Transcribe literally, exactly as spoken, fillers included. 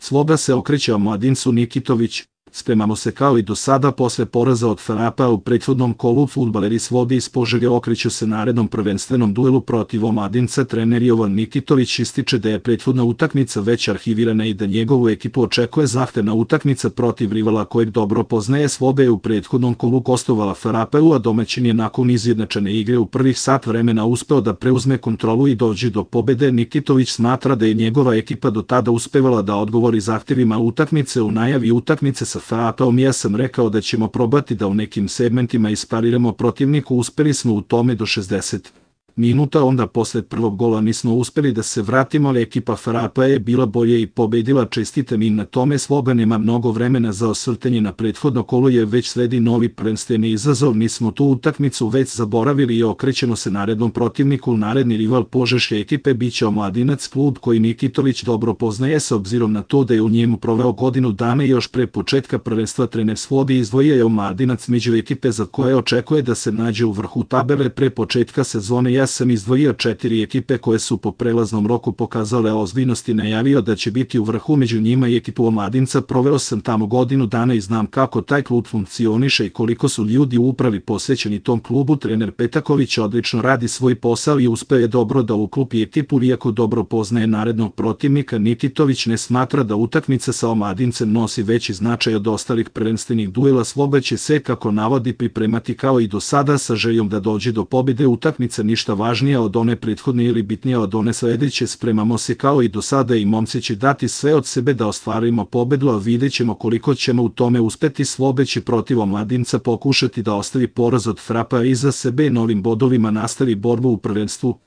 Sloba se okreće omladincu Nikitović. Spremamo se kao i do sada posle poraza od Frapa u prethodnom kolu. Fudbaleri Slobe iz Požege okreću se narednom prvenstvenom duelu protiv omladinca. Trener Jovan Nikitović ističe da je prethodna utakmica već arhivirana i da njegovu ekipu očekuje zahtevna utakmica protiv rivala kojeg dobro poznaje. Slobe je u prethodnom kolu gostovala Frapeu, a domaćin je nakon izjednačene igre u prvih sat vremena uspeo da preuzme kontrolu i dođe do pobede. Nikitović smatra da je njegova ekipa do tada uspevala da odgovori zahtevima utakmice. U najavi utakmice sa Frapeom ja sam rekao da ćemo probati da u nekim segmentima ispariramo protivniku. Uspeli smo u tome do šezdeset minuta, onda posle prvog gola nismo uspeli da se vratimo, ali ekipa Frapa je bila bolje i pobedila. Čestitam im na tome. Sloba nema mnogo vremena za osvrtanje na prethodno kolo, je već sledi novi prvenstveni izazov. Nismo tu utakmicu već zaboravili i okrećemo se narednom protivniku. Naredni rival požeške ekipe biće Omladinac, klub koji Nikitović dobro poznaje s obzirom na to da je u njemu proveo godinu dana. Još pre početka prvenstva trener Slobe izdvojio je Omladinac među ekipe za koje očekuje da se nađe u vrhu tabele. Pre početka sezone ja sam izdvojio četiri ekipe koje su po prelaznom roku pokazale ozbiljnost i najavio da će biti u vrhu, među njima i ekipu Omladinca. Proveo sam tamo godinu dana i znam kako taj klub funkcioniše i koliko su ljudi u upravi posvećeni tom klubu. Trener Petaković odlično radi svoj posao i uspeo je dobro da uklopi ekipu, iako dobro poznaje narednog protivnika. Nikitović ne smatra da utakmica sa Omladincem nosi veći značaj od ostalih prvenstvenih duela. Sloba će se, kako navodi, pripremati kao i do sada sa željom da dođe do pobjede. Utakmica ništa važnija od one prethodne ili bitnija od one sledeće. Spremamo se kao i do sada i momci će dati sve od sebe da ostvarimo pobedu, a vidjet ćemo koliko ćemo u tome uspeti. Slobe će protiv Omladinca pokušati da ostavi poraz od Frapa iza sebe, novim bodovima nastavi borbu u prvenstvu.